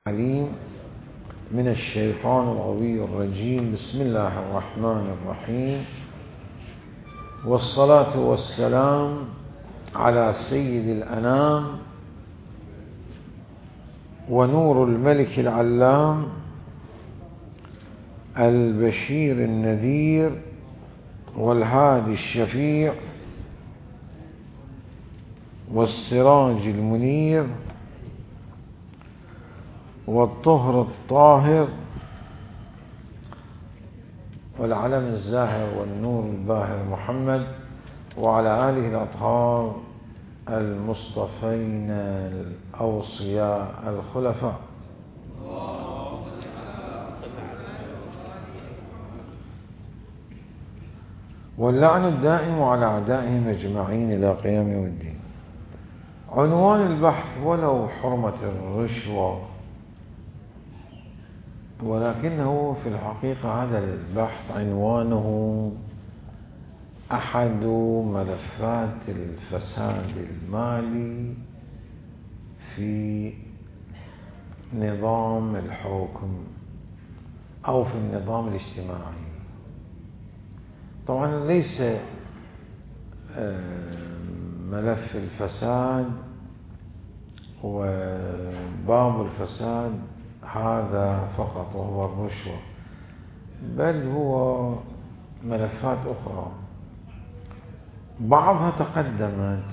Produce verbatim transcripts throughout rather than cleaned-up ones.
عليم من الشيطان الغوي الرجيم. بسم الله الرحمن الرحيم، والصلاة والسلام على سيد الأنام ونور الملك العلام البشير النذير والهادي الشفيع والسراج المنير والطهر الطاهر والعلم الزاهر والنور الباهر محمد وعلى آله الأطهار المصطفين الأوصياء الخلفاء. واللعن الدائم على أعدائهم أجمعين إلى قيام يوم الدين. عنوان البحث: ولو حرمة الرشوة، ولكنه في الحقيقة هذا البحث عنوانه أحد ملفات الفساد المالي في نظام الحكم أو في النظام الاجتماعي. طبعا ليس ملف الفساد وباب الفساد هذا فقط وهو الرشوة، بل هو ملفات أخرى بعضها تقدمت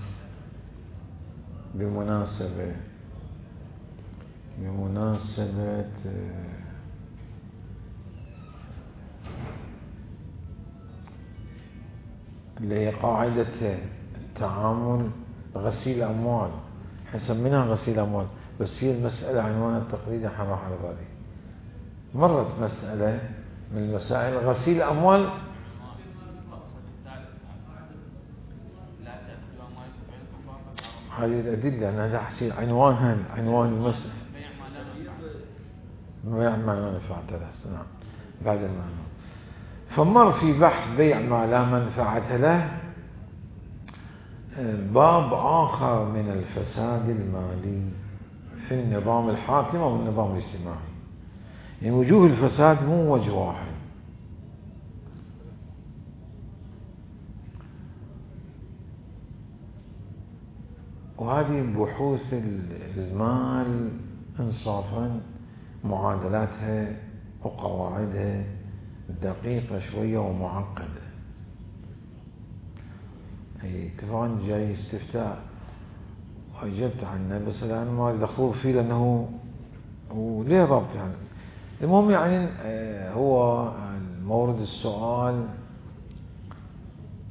بمناسبة بمناسبة لقاعدة التعامل غسيل أموال، حنسمينها غسيل أموال، بس هي المسألة عنوانها التقليدي حراح على بالي. مرت مسألة من المسائل غسيل أموال، هذه الأدلة أنا هذا حسين عنوانها عنوان المسألة بيع ما لا منفعة له. نعم، بعد المعنى. فمر في بحث بيع ما لا منفعة له باب آخر من الفساد المالي في النظام الحاكم أو النظام الاجتماعي. يعني وجوه الفساد مو وجه واحد، وهذه بحوث المال إنصافا معادلاتها وقواعدها دقيقة شوية ومعقدة. اي طبعا جاي استفتاء وأجبت عنه، بس الآن ما أريد أخوض فيه لأنه وليه ربط يعني. المهم يعني هو مورد السؤال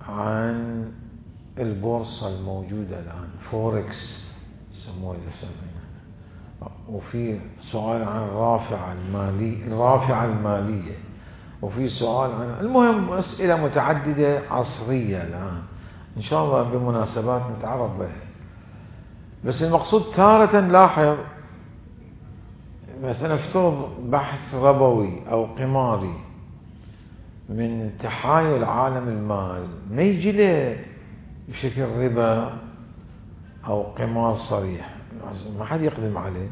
عن البورصة الموجودة الآن، فوركس يسموها يسمونها، وفي سؤال عن الرافعة المالية الرافعة المالية، وفي سؤال عن المهم أسئلة متعددة عصرية الآن إن شاء الله بمناسبات نتعرض بها. بس المقصود تارة لاحظ مثلا افترض بحث ربوي أو قماري من تحايل عالم المال، ما يجي له بشكل ربا أو قمار صريح، ما حد يقدم عليه،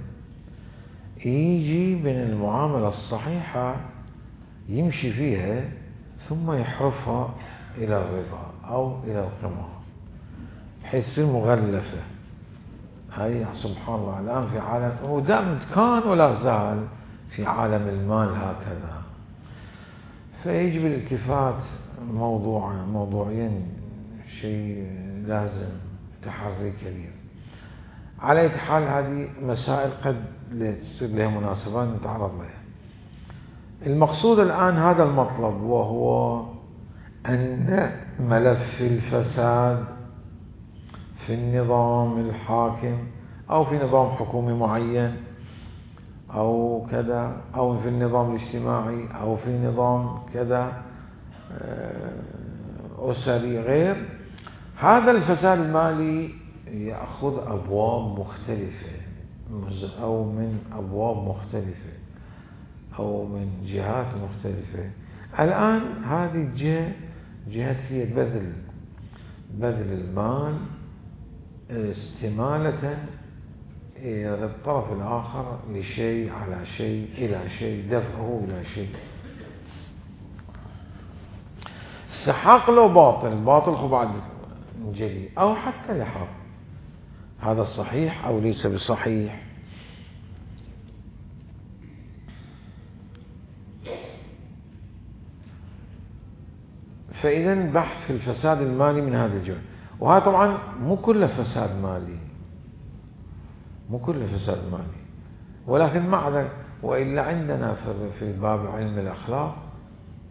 يجي من المعاملة الصحيحة يمشي فيها ثم يحرفها إلى الربا أو إلى القمار بحيث تصير مغلفة. هاي سبحان الله الآن في عالم، ودائما كان ولا زال في عالم المال هكذا. فيجب الالتفات موضوع موضوعيا، شيء لازم تحري كبير. على أي حال هذه مسائل قد تصير لها مناسبات نتعرض لها. المقصود الآن هذا المطلب، وهو أن ملف الفساد في النظام الحاكم أو في نظام حكومي معين أو كذا، أو في النظام الاجتماعي أو في نظام كذا أسري غير، هذا الفساد المالي يأخذ أبواب مختلفة أو من أبواب مختلفة أو من جهات مختلفة. الآن هذه الجهة جهة هي بذل بذل المال استمالة للطرف الآخر لشيء على شيء إلى شيء، دفعه إلى شيء. السحاق لو باطل، باطل خو بعد جلي، أو حتى لحاق، هذا الصحيح أو ليس بصحيح. فإذا البحث في الفساد المالي من هذا الجانب، وهذا طبعا مو كله فساد مالي، مو كله فساد مالي، ولكن مع ذلك وإلا عندنا في باب علم الأخلاق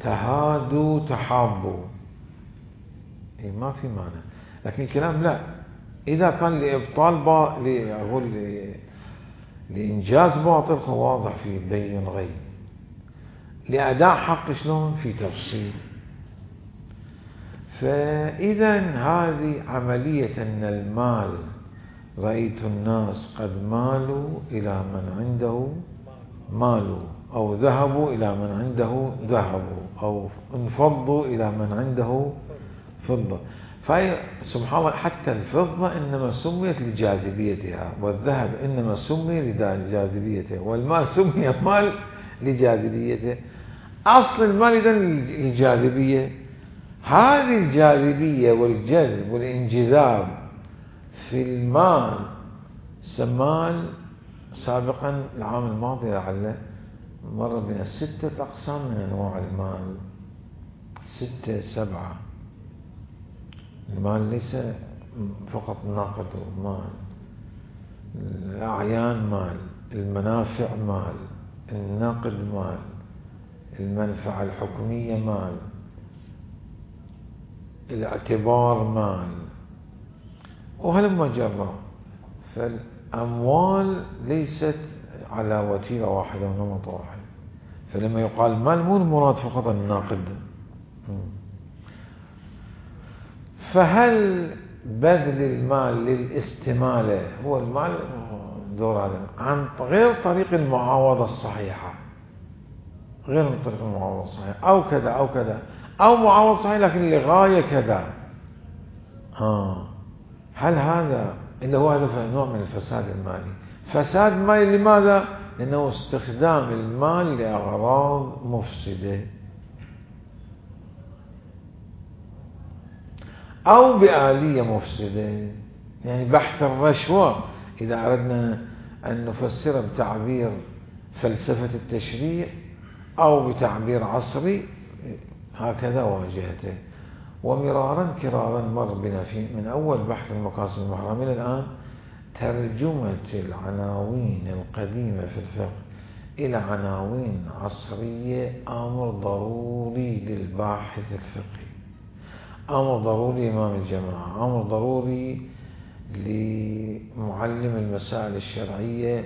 تهادوا تحابوا، إيه ما في معنى. لكن الكلام لا، إذا كان لإبطال با... لأقول ل... لإنجاز باطل واضح في بين غيب، لأداء حق شلون في تفصيل. فإذا هذه عملية أن المال، رأيت الناس قد مالوا إلى من عنده مالوا، أو ذهبوا إلى من عنده ذهبوا، أو انفضوا إلى من عنده فضة. فهي سبحان الله حتى الفضة إنما سميت لجاذبيتها، والذهب إنما سمي لجاذبيته، والمال سمي مال لجاذبيته. أصل المال إذن الجاذبية، هذه الجاذبية والجذب والانجذاب في المال سمال سابقا العام الماضي لعله مر بنا ستة أقسام من أنواع المال، ستة سبعة. المال ليس فقط نقد ومال، الأعيان مال، المنافع مال، النقد مال، المنفعة الحكمية مال، الاعتبار مال، وهلما جرى. فالأموال ليست على وتيرة واحدة ونمط واحد. فلما يقال مال مو المراد فقط الناقد. فهل بذل المال للاستمالة هو المال دور هذا عن غير طريق المعاوضة الصحيحة، غير من طريق المعاوضة الصحيحة، أو كذا أو كذا، أو معاوضة صحيحة لكن لغاية كذا، ها هل هذا اللي هو هذا نوع من الفساد المالي؟ فساد مالي لماذا؟ لأنه استخدام المال لأغراض مفسدة، أو بآلية مفسدة. يعني بحث الرشوة إذا أردنا أن نفسر بتعبير فلسفة التشريع أو بتعبير عصري هكذا واجهته. ومرارا كرارا مر بنا في من أول بحث المقاصد المحرمة إلى الآن ترجمة العناوين القديمة في الفقه إلى عناوين عصرية أمر ضروري للباحث الفقهي، أمر ضروري إمام الجماعة، أمر ضروري لمعلم المسائل الشرعية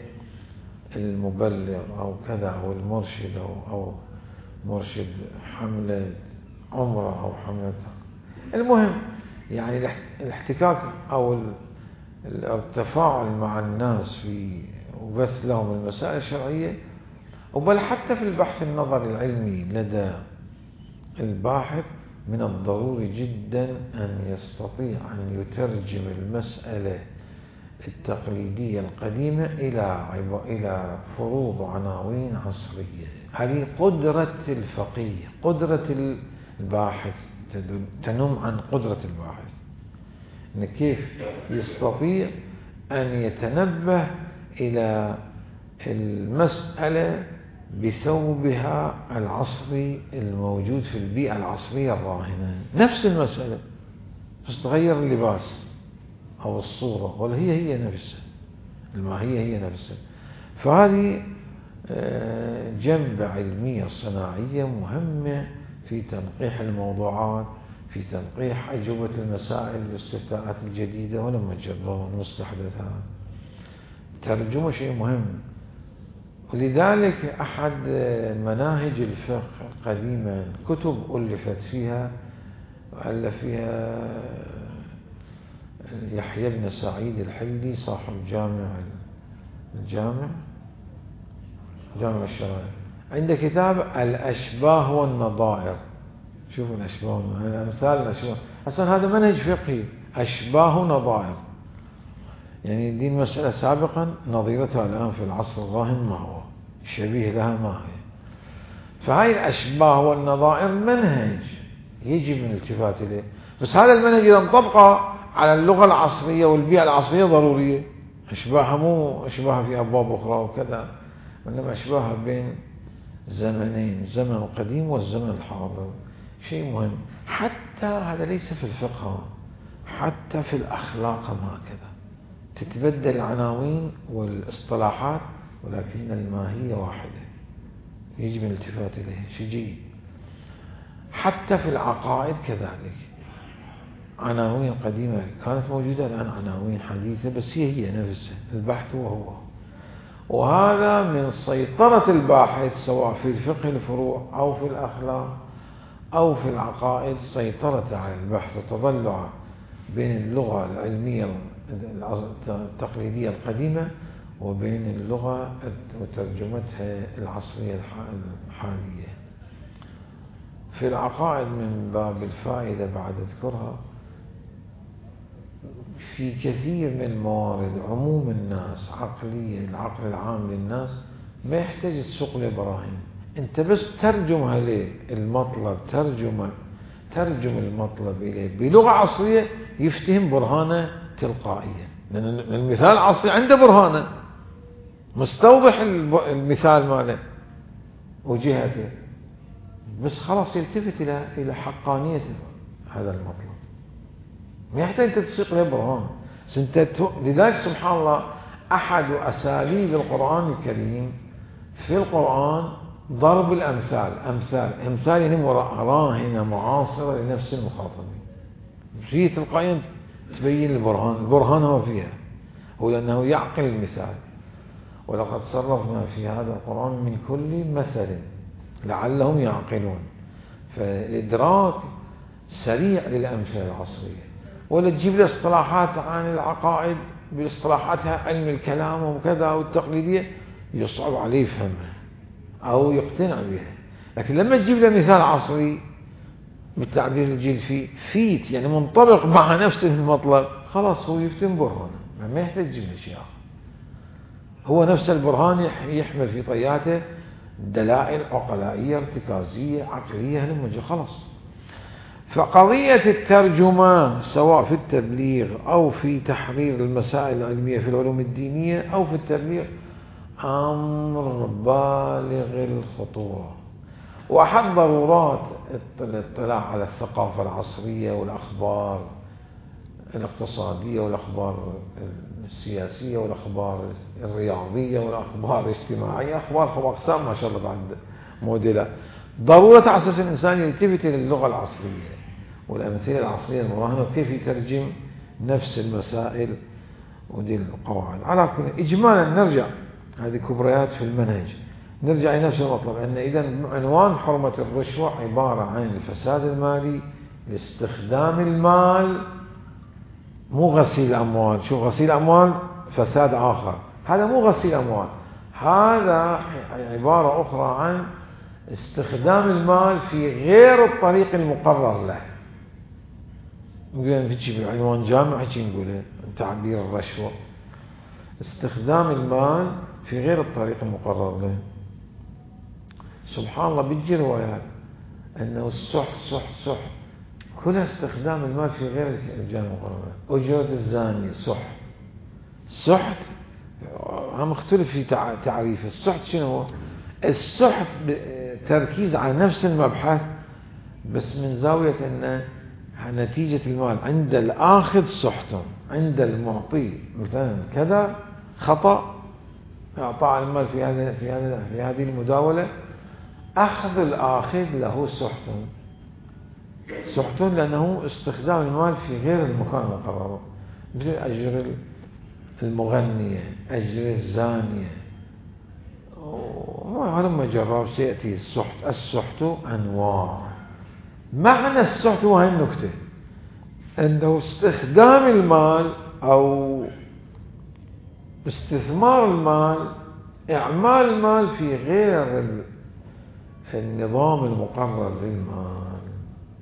المبلغ أو كذا، أو المرشد أو, أو مرشد حملة عمرة أو حملة. المهم يعني الاحتكاك أو التفاعل مع الناس في وبث لهم المسائل الشرعية، وبل حتى في البحث النظري العلمي لدى الباحث من الضروري جدا أن يستطيع أن يترجم المسألة التقليدية القديمة إلى إلى فروض وعناوين عصرية. هذه قدرة الفقيه، قدرة الباحث، تنم عن قدرة الباحث إن كيف يستطيع أن يتنبه إلى المسألة بثوبها العصري الموجود في البيئة العصرية الراهنة. نفس المسألة بس تغير اللباس أو الصورة، ولا هي هي نفسها، الماهية هي نفسها. فهذه جنبة علمية صناعية مهمة في تنقيح الموضوعات، في تنقيح أجوبة المسائل والاستفتاءات الجديدة ولما تجربون المستحدثات. ترجمة شيء مهم. ولذلك أحد مناهج الفقه قديما كتب ألفت فيها وألف فيها يحيى بن سعيد الحلي صاحب جامع الجامع جامع الشرائع، عنده كتاب الأشباه والنظائر. شوفوا الأشباه والنظائر، أمثال الأشباه. أصلا هذا منهج فقهي، أشباه ونظائر. يعني دي المسألة سابقا نظيرتها الآن في العصر الراهن ما هو شبيه لها ما هي. فهاي الأشباه والنظائر منهج يجب الالتفات إليه، بس هذا المنهج إذا انطبق على اللغة العصرية والبيئة العصرية ضرورية. أشباهها مو أشباهها في أبواب أخرى وكذا، وإنما أشباهها بين زمنين، الزمن القديم والزمن الحاضر، شيء مهم. حتى هذا ليس في الفقه، حتى في الأخلاق هكذا تتبدل العناوين والاصطلاحات ولكن الماهية واحدة، يجب الالتفات إليه، شيء جيد. حتى في العقائد كذلك، عناوين قديمة كانت موجودة، الآن عناوين حديثة، بس هي هي نفسها، البحث وهو. وهذا من سيطرة الباحث سواء في الفقه الفروع أو في الأخلاق أو في العقائد، سيطرة على البحث وتضلع بين اللغة العلمية التقليدية القديمة وبين اللغة وترجمتها العصرية الحالية. في العقائد من باب الفائدة بعد أذكرها، في كثير من الموارد عموم الناس عقلية، العقل العام للناس ما يحتاج تسوق له براهين، انت بس ترجمها له المطلب، ترجمة ترجم المطلب إليه بلغة عصرية يفتهم برهانه تلقائيا، لأن المثال العصري عنده برهانه مستوضح المثال ماله وجهته، بس خلاص يلتفت إلى إلى حقانية هذا المطلب، ما يحتاج أنت تسيق له برهان. لذلك سبحان الله أحد أساليب القرآن الكريم في القرآن ضرب الأمثال، أمثال أمثال يعني راهنة معاصرة لنفس المخاطبين، هي تلقائيا تبين البرهان، البرهان هو فيها هو لأنه يعقل المثال. ولقد صرفنا في هذا القرآن من كل مثل لعلهم يعقلون، فالإدراك سريع للأمثلة العصرية. ولا تجيب له اصطلاحات عن العقائد باصطلاحاتها علم الكلام وكذا والتقليدية يصعب عليه يفهمها أو يقتنع بها. لكن لما تجيب له مثال عصري بالتعبير الجيل فيه فيت يعني منطبق مع نفس المطلب، خلاص هو يفتن برهانه، ما يحتاج تجيب له شيء آخر، هو نفس البرهان يحمل في طياته دلائل عقلائية ارتكازية عقلية هلمجة خلاص. فقضية الترجمة سواء في التبليغ أو في تحرير المسائل العلمية في العلوم الدينية أو في التبليغ أمر بالغ الخطورة، وأحد ضرورات الاطلاع على الثقافة العصرية والأخبار الاقتصادية والأخبار السياسية والأخبار الرياضية والأخبار الاجتماعية، أخبار خبر أقسام ما شاء الله بعد موديلات. ضرورة على أساس الإنسان يلتفت إلى اللغة العصرية والأمثلة العصرية المراهنة وكيف يترجم نفس المسائل ودي القواعد. على كل إجمالا نرجع هذه كبريات في المنهج، نرجع إلى نفس المطلب أن إذا عنوان حرمة الرشوة عبارة عن الفساد المالي لاستخدام المال، مو غسيل أموال. شو غسيل أموال فساد آخر، هذا مو غسيل أموال، هذا عبارة أخرى عن استخدام المال في غير الطريق المقرر له. نقول نجيب عنوان جامع هيك نقوله تعبير الرشوة، استخدام المال في غير الطريق المقرر له. سبحان الله بتجي روايات أنه السحت سحت سحت كلها استخدام المال في غير الجانب المقرر. أجرة الزانية سحت، السحت هم اختلف في تعريفه. السحت شنو هو؟ السحت تركيز على نفس المبحث بس من زاوية أن نتيجة المال عند الآخذ سحت، عند المعطي مثلا كذا خطأ إعطاء المال في هذا في هذا في هذه المداولة، أخذ الآخذ له سحت، سحت لأنه استخدام المال في غير المكان المقرر، مثل أجر المغنية، أجر الزانية، ولما جرب سيأتي السحت. السحت أنواع. معنى السحت هو هاي النكتة، أنه استخدام المال أو استثمار المال، إعمال المال في غير النظام المقرر للمال.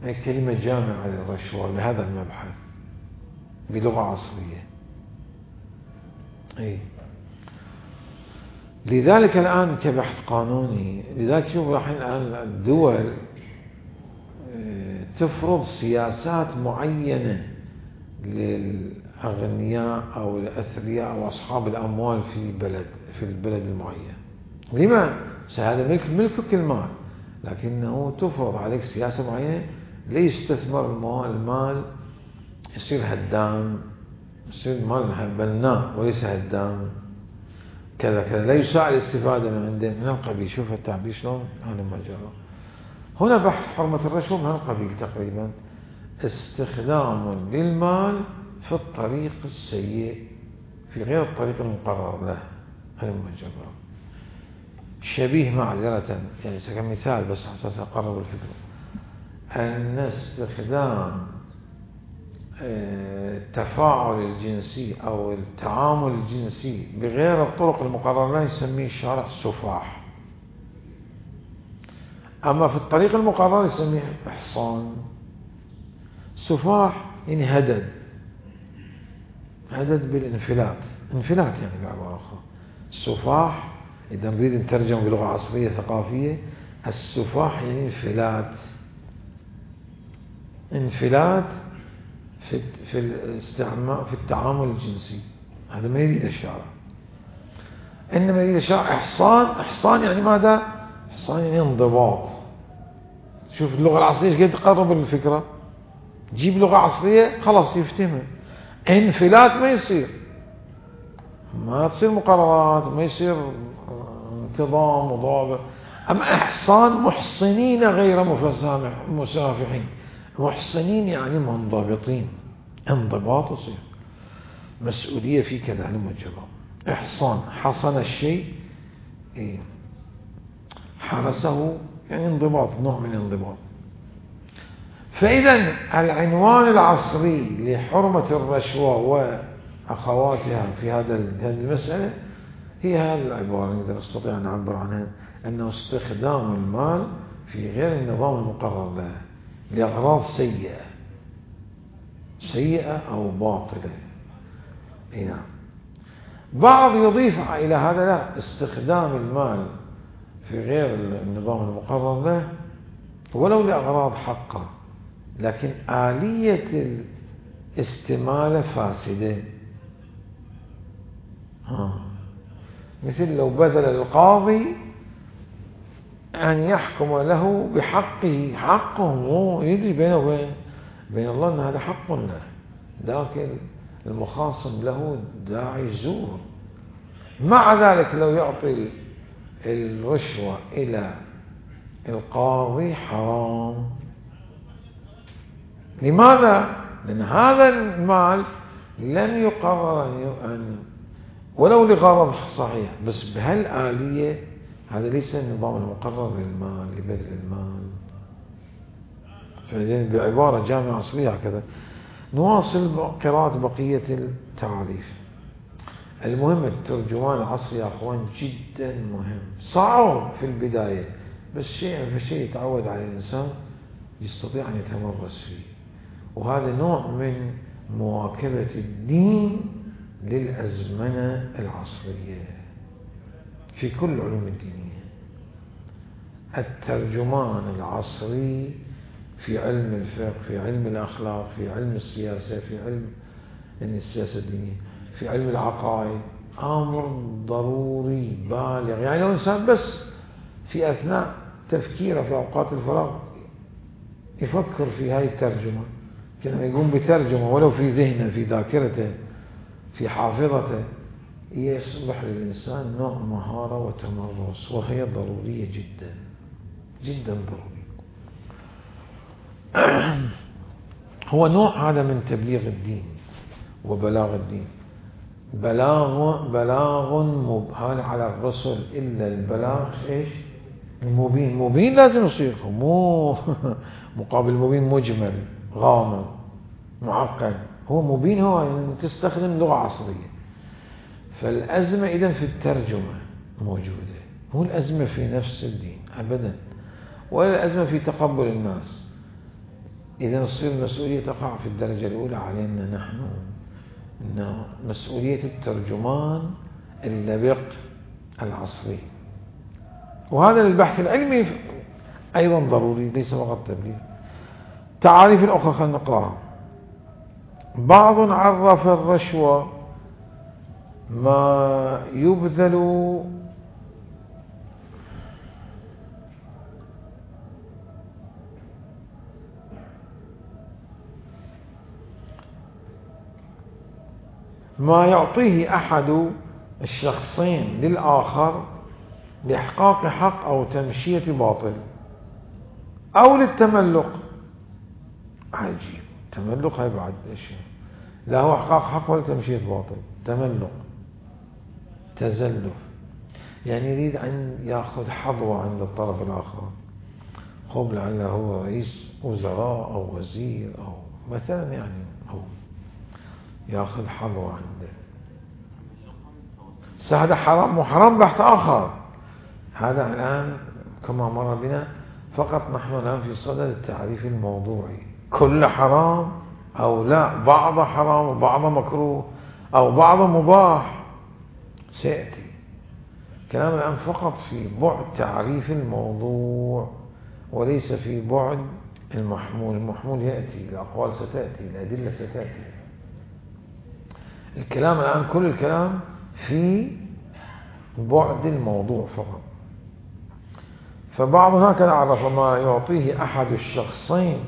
هي كلمة جامعة للرشوة لهذا المبحث بلغة عصرية. اي لذلك الآن كبحث قانوني، لذلك شوف الحين الآن الدول تفرض سياسات معينة للأغنياء أو الأثرياء أو أصحاب الأموال في بلد في البلد المعين. لما؟ هذا ملك ملكك المال، لكنه تفرض عليك سياسة معينة ليستثمر المال، يصير هدام، يصير مال بناء وليس هدام، كذا كذا، لا يساء الاستفادة من عنده من القبيل. شوف التعبير شلون هذا المجال. هنا بحث حرمة الرشوة من هالقبيل تقريبا، استخدام للمال في الطريق السيء في غير الطريق المقرر له، هذا المجال. شبيه معذرة يعني كمثال بس حساس أقرب الفكرة، أن استخدام التفاعل الجنسي أو التعامل الجنسي بغير الطرق المقررة له يسميه الشارع سفاح، أما في الطريق المقرر يسميه إحصان. سفاح يعني هدد، هدد بالانفلات، انفلات يعني بعبارة أخرى. السفاح إذا نريد نترجم بلغة عصرية ثقافية، السفاح يعني انفلات، انفلات في في الاستعمال في التعامل الجنسي. هذا ما يريد الشارع، إنما يريد الشارع إحصان. إحصان يعني ماذا؟ إحصان يعني انضباط. شوف اللغة العصرية كيف تقرب الفكرة، جيب لغة عصرية خلاص يفتهمها. انفلات ما يصير، ما تصير مقررات، ما يصير انتظام وضابط. أما إحصان محصنين غير مسافحين. محصنين يعني منضبطين، انضباط يصير، مسؤولية في كذا المجرم. إحصان حصن الشيء إيه؟ حرسه يعني انضباط، نوع من الانضباط. فإذا العنوان العصري لحرمة الرشوة وأخواتها في هذا هذه المسألة هي هذه العبارة نقدر نستطيع أن نعبر عنها، أنه استخدام المال في غير النظام المقرر له لأغراض سيئة سيئة أو باطلة. هنا بعض يضيف إلى هذا لا، استخدام المال في غير النظام المقرر له ولو لأغراض حقه، لكن آلية الاستمالة فاسدة. ها. مثل لو بذل القاضي أن يحكم له بحقه، حقه هو يدري بينه وبين بين الله أن هذا حق له، لكن المخاصم له داعي زور. مع ذلك لو يعطي الرشوة إلى القاضي حرام. لماذا؟ لأن هذا المال لم يقرر أن ولو لغرض صحيح، بس بهالآلية هذا ليس النظام المقرر للمال لبذل المال. بعبارة جامعة عصرية هكذا. نواصل قراءة بقية التعريف. المهم الترجمان العصري يا أخوان جدا مهم، صعب في البداية بس شيء في شيء يتعود على الإنسان يستطيع أن يتمرس فيه، وهذا نوع من مواكبة الدين للأزمنة العصرية في كل العلوم الدينية. الترجمان العصري في علم الفقه، في علم الأخلاق، في علم السياسة، في علم السياسة الدينية، في علم العقائد، أمر ضروري بالغ. يعني لو إنسان بس في أثناء تفكيره في أوقات الفراغ يفكر في هاي الترجمة، كما يقوم بترجمة ولو في ذهنه في ذاكرته في حافظته، يصبح للإنسان نوع مهارة وتمرس، وهي ضرورية جدا جدا ضروري. هو نوع هذا من تبليغ الدين وبلاغ الدين. بلاغ بلاغ مبهر على الرسل إلا البلاغ إيش المبين. مبين لازم يصير، مو مقابل مبين مجمل غامض معقد. هو مبين، هو يعني تستخدم لغة عصرية. فالأزمة إذن في الترجمة موجودة، مو الأزمة في نفس الدين أبدا، ولا الأزمة في تقبل الناس. إذا تصير المسؤولية تقع في الدرجة الأولى علينا نحن إنه مسؤولية الترجمان اللبق العصري، وهذا للبحث العلمي أيضا ضروري ليس فقط تبليغ. تعاريف الأخرى خلينا نقرأها. بعض عرف الرشوة ما يبذل ما يعطيه أحد الشخصين للآخر لإحقاق حق أو تمشية باطل أو للتملق. عجيب، تملق هاي بعد شيء، لا هو إحقاق حق ولا تمشية باطل، تملق تزلف، يعني يريد أن يأخذ حظوة عند الطرف الآخر، خب لعله هو رئيس وزراء أو وزير أو مثلا، يعني هو يأخذ حظوة عنده. هذا حرام وحرام بحث آخر، هذا الآن كما مر بنا فقط نحن الآن في صدد التعريف الموضوعي، كل حرام أو لا، بعض حرام وبعض مكروه أو بعض مباح سيأتي. كلام الآن فقط في بعد تعريف الموضوع وليس في بعد المحمول. المحمول يأتي، الأقوال ستأتي، الأدلة ستأتي. الكلام الآن كل الكلام في بعد الموضوع فقط. فبعض هكذا عرف ما يعطيه أحد الشخصين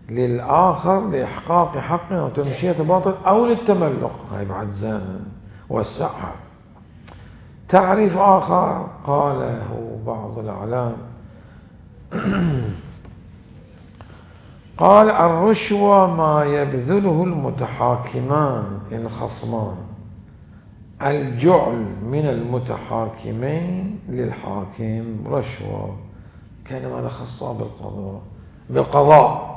للآخر لإحقاق حق أو تمشية باطل أو للتملق، هاي بعد زان وسعها. تعريف آخر قاله بعض الأعلام قال الرشوة ما يبذله المتحاكمان الخصمان، الجعل من المتحاكمين للحاكم رشوة، كان ماذا خصها بالقضاء بالقضاء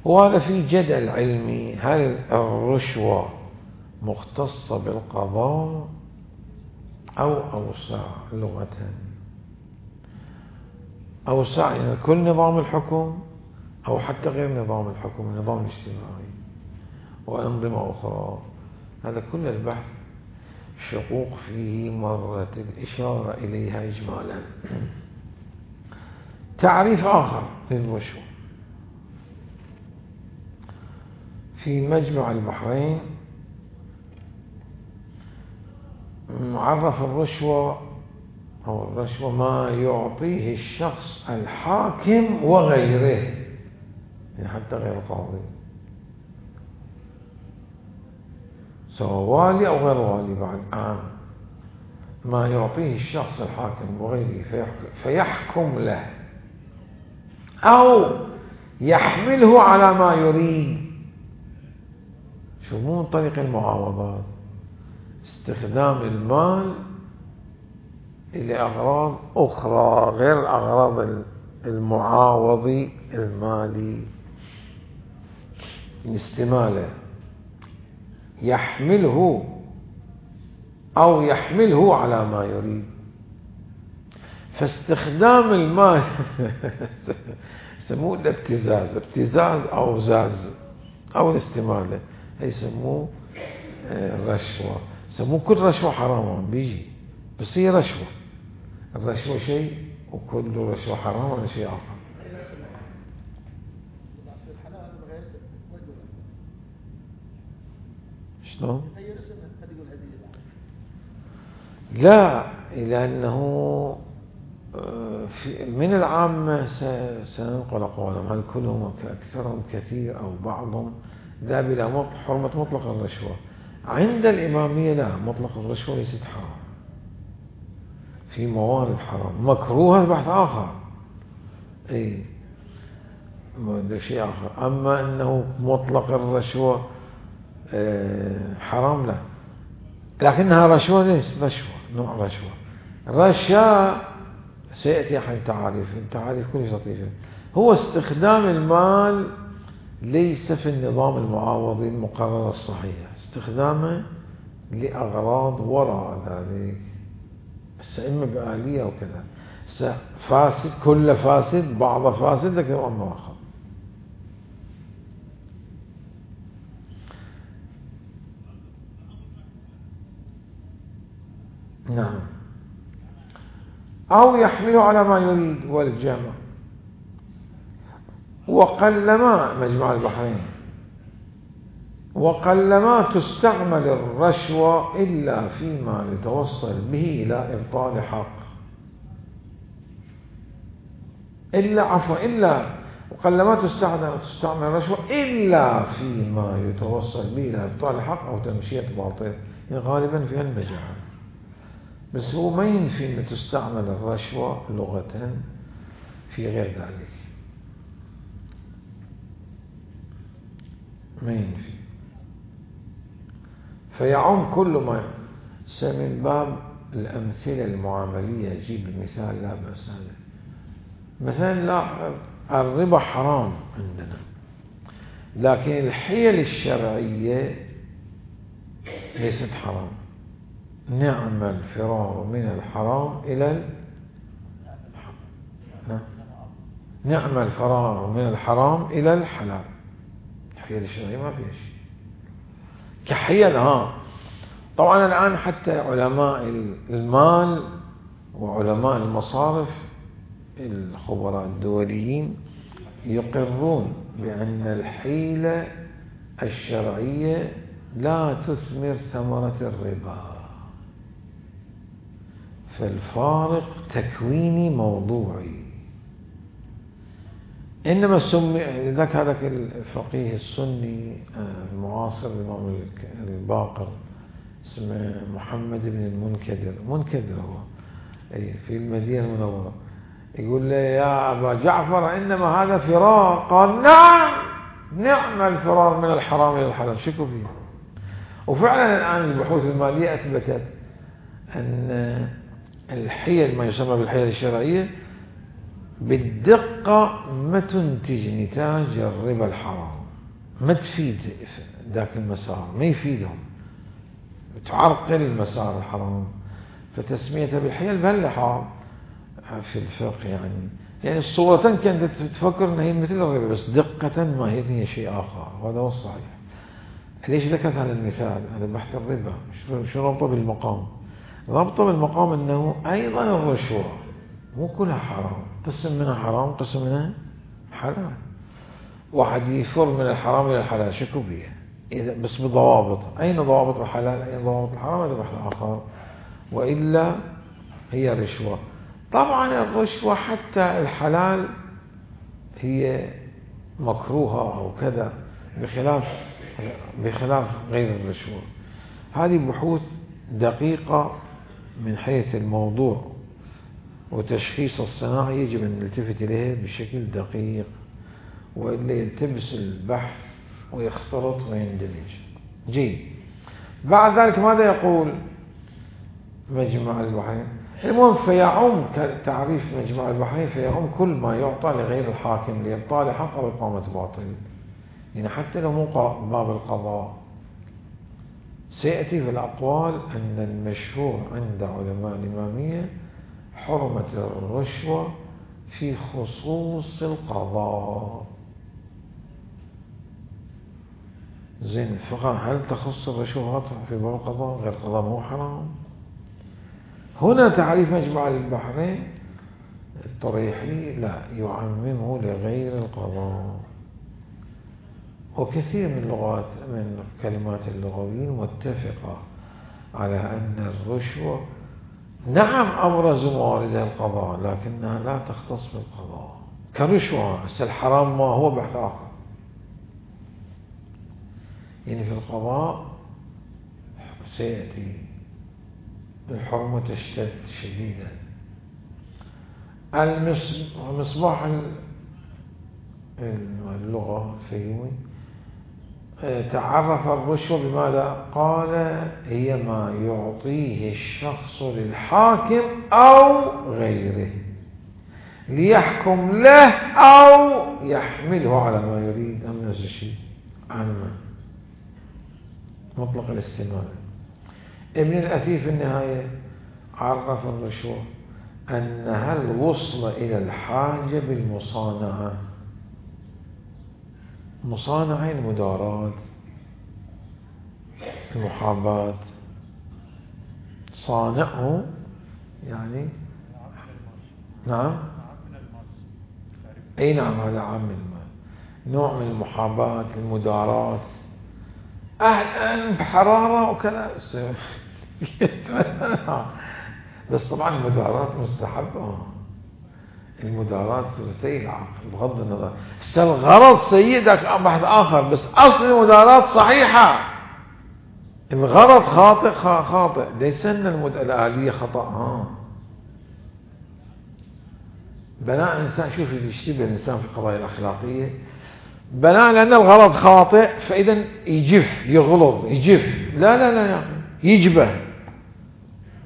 وهذا في جدل علمي، هل الرشوة مختصة بالقضاء أو أوسع لغة؟ أوسع يعني كل نظام الحكم أو حتى غير نظام الحكم، النظام الاجتماعي وأنظمة أخرى. هذا كل البحث شقوق فيه مرة الإشارة إليها إجمالا. تعريف آخر للرشوة في مجمع البحرين عرف الرشوة أو الرشوة ما يعطيه الشخص الحاكم وغيره، يعني حتى غير القاضي، سواء والي أو غير والي بعد عام، ما يعطيه الشخص الحاكم وغيره فيحكم, فيحكم له أو يحمله على ما يريد. شو مو من طريق المعاوضات، استخدام المال لأغراض أخرى غير أغراض المعاوض المالي، استماله، يحمله أو يحمله على ما يريد. فاستخدام المال يسموه الابتزاز، ابتزاز أو زاز أو الاستمالة، يسموه الرشوة. يسموه كل رشوة حرام بيجي، بس هي رشوة. الرشوة شيء وكل رشوة حرام ولا شيء آخر. شلون؟ لا، لأنه من العامة سننقل أقوالهم، هل كلهم أكثرهم كثير أو بعضهم ذهب إلى حرمة مطلق الرشوة. عند الإمامية لا، مطلق الرشوة ليست حرام، في موارد حرام مكروه بحث آخر، أي ده شيء آخر. أما أنه مطلق الرشوة حرام لا، لكنها رشوة ليست رشوة، نوع رشوة. رشا سيأتي عن تعاريف، التعاريف كلش لطيفة. هو استخدام المال ليس في النظام المعاوضي المقرر الصحيح، استخدامه لأغراض وراء ذلك، بس إما بآلية أو كذا، فاسد، كل فاسد، بعض فاسد، لكن أمر آخر. نعم. أو يحمله على ما يريد والجمع. وقلما مجمع البحرين وقلما تستعمل الرشوة إلا فيما يتوصل به إلى إبطال حق إلا عفوا إلا وقلما تستعمل تستعمل الرشوة إلا فيما يتوصل به إلى إبطال حق أو تمشية باطل، يعني غالبا في المجال. بس هو ما ينفي أن تستعمل الرشوة لغة في غير ذلك، ما ينفي. فيعم كل ما من باب الأمثلة المعاملية. يجيب المثال لا بأس. مثلا لا الربا حرام عندنا، لكن الحيل الشرعية ليست حرام. نعم الفرار من الحرام إلى ال... نعم الفرار من الحرام إلى الحلال. الحيل الشرعية ما فيها شيء كحيل. ها طبعا الآن حتى علماء المال وعلماء المصارف الخبراء الدوليين يقرون بأن الحيلة الشرعية لا تثمر ثمرة الربا، فالفارق تكويني موضوعي. إنما سمي ذاك هذاك الفقيه السني المعاصر الإمام الباقر اسمه محمد بن المنكدر، منكدر هو في المدينة المنورة، يقول له يا أبا جعفر إنما هذا فرار. قال نعم، نعم الفرار من الحرام إلى الحلال، شكوا فيه. وفعلا الآن البحوث المالية أثبتت أن الحيل ما يسمى بالحيل الشرعية بالدقة ما تنتج نتاج الربا الحرام، ما تفيد ذاك المسار، ما يفيدهم، تعرقل مسار الحرام. فتسميتها بالحيل بهالحرام في الفقه يعني يعني الصورتين كانت تفكر انها هي مثل الربا، بس دقة ما هي شيء آخر، وهذا هو الصحيح. ليش ذكرت هذا المثال؟ هذا بحث الربا شو ربطه بالمقام؟ ربطه بالمقام انه ايضا الرشوة مو كلها حرام، قسم منها حرام قسم منها حلال. واحد يفر من الحرام الى الحلال شكو بيه، اذا بس بضوابط. اين ضوابط الحلال اين ضوابط الحرام؟ هذا بحث اخر، والا هي رشوة. طبعا الرشوة حتى الحلال هي مكروهة أو كذا، بخلاف بخلاف غير الرشوة. هذه بحوث دقيقة من حيث الموضوع وتشخيص الصناعة، يجب أن نلتفت إليها بشكل دقيق، وإلا يلتبس البحث ويختلط ويندمج. جيد. بعد ذلك ماذا يقول مجمع البحرين؟ المهم فيعم تعريف مجمع البحرين، فيعم كل ما يعطى لغير الحاكم لإبطال حق أو إقامة باطل، يعني حتى لو مو باب القضاء. سيأتي في الأقوال أن المشهور عند علماء الإمامية حرمة الرشوة في خصوص القضاء. زين، هل تخص الرشوة في باب القضاء؟ غير القضاء مو حرام؟ هنا تعريف مجمع البحرين الطريحي لا يعممه لغير القضاء. وكثير من اللغات من كلمات اللغويين متفقة على أن الرشوة نعم أبرز مواردها القضاء، لكنها لا تختص بالقضاء كرشوة. بس الحرام ما هو بحث آخر. يعني في القضاء سيأتي الحرمة تشتد شديدا. المصباح اللغة الفيومي تعرف الرشوة بماذا؟ قال هي ما يعطيه الشخص للحاكم أو غيره ليحكم له أو يحمله على ما يريد. أم نفس الشيء عامة مطلق الاستعمال. ابن الأثير في النهاية عرف الرشوة أنها الوصل إلى الحاجة بالمصانعة. مصانعة المدارات، المحاباة، صانعه يعني نعم أي نعم هذا عام المال، نوع من المحاباة المداراة، أهلا بحرارة وكذا بس طبعا المداراة مستحبة، المداراة ثلثي العقل بغض النظر، الغرض سيء ذاك بحث آخر، بس أصل المداراة صحيحة، الغرض خاطئ خاطئ، ليس أن الآلية خطأ. ها بناء الإنسان، شوف يشتبه الإنسان في القضايا الأخلاقية، بناء لأن الغرض خاطئ فإذا يجف يغلظ يجف، لا لا لا يجبه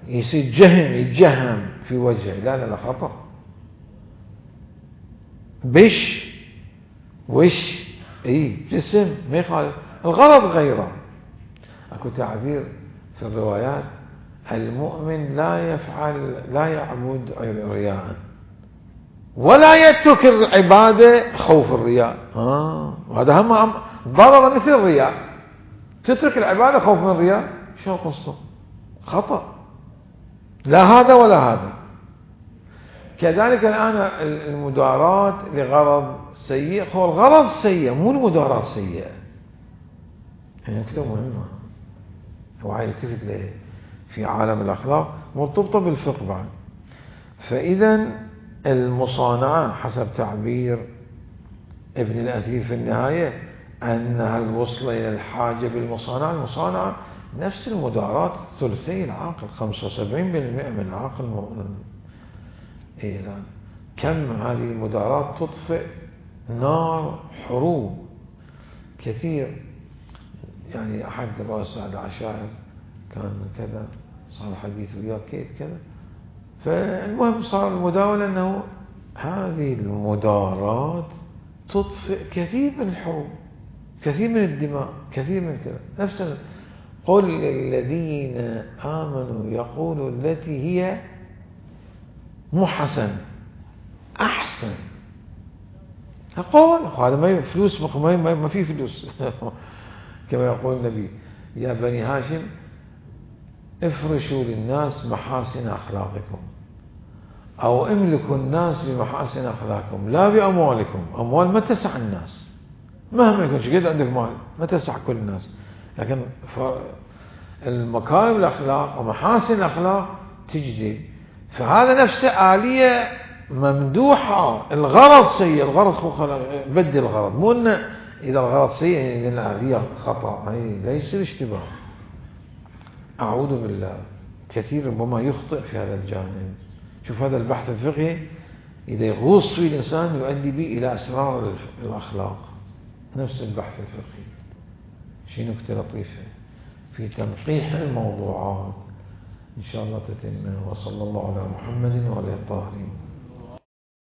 يصير جهم يتجهم في وجهه، لا لا لا خطأ. بش وش اي جسم ما يخالف، الغرض غيره. اكو تعبير في الروايات المؤمن لا يفعل لا يعبد رياء ولا يترك العبادة خوف الرياء. آه. وهذا هم ضرر مثل الرياء، تترك العبادة خوف من الرياء، شو القصة؟ خطأ، لا هذا ولا هذا. كذلك الآن المداراة لغرض سيء، هو الغرض سيء مو المداراة سيئة. هي نكتة مهمة وعي يلتفت ليه في عالم الأخلاق مرتبطة بالفقه بعد. فإذا المصانعة حسب تعبير ابن الأثير في النهاية أنها الوصلة إلى الحاجة بالمصانعة، المصانعة نفس المداراة ثلثي العقل، خمسة وسبعين بالمئة من العقل المؤمن. إيه لا. كم هذه المداراة تطفئ نار حروب كثير. يعني أحد رؤساء العشائر كان كذا صار حديث وياه كيف كذا، فالمهم صار المداولة أنه هذه المدارات تطفئ كثير من الحروب، كثير من الدماء، كثير من كذا. نفس قل للذين آمنوا يقولوا التي هي مو حسن أحسن. أقول هذا ما فلوس، ما ما في فلوس كما يقول النبي يا بني هاشم افرشوا للناس محاسن أخلاقكم، أو املكوا الناس بمحاسن أخلاقكم لا بأموالكم. أموال ما تسع الناس، مهما يكون شقد عندك مال ما تسع كل الناس، لكن المكارم الأخلاق ومحاسن الأخلاق تجدي. فهذا نفسه آلية ممدوحة. الغرض سيء، الغرض بدل الغرض، مو أن إذا الغرض سيء يعني الآلية خطأ، هي ليس الاشتباه. أعوذ بالله، كثير ربما يخطئ في هذا الجانب. شوف هذا البحث الفقهي إذا يغوص فيه الإنسان يؤدي به إلى أسرار الأخلاق. نفس البحث الفقهي شيء نكتة لطيفة في تنقيح الموضوعات إن شاء الله تتم. وصلى الله على محمد وعلى الطاهرين.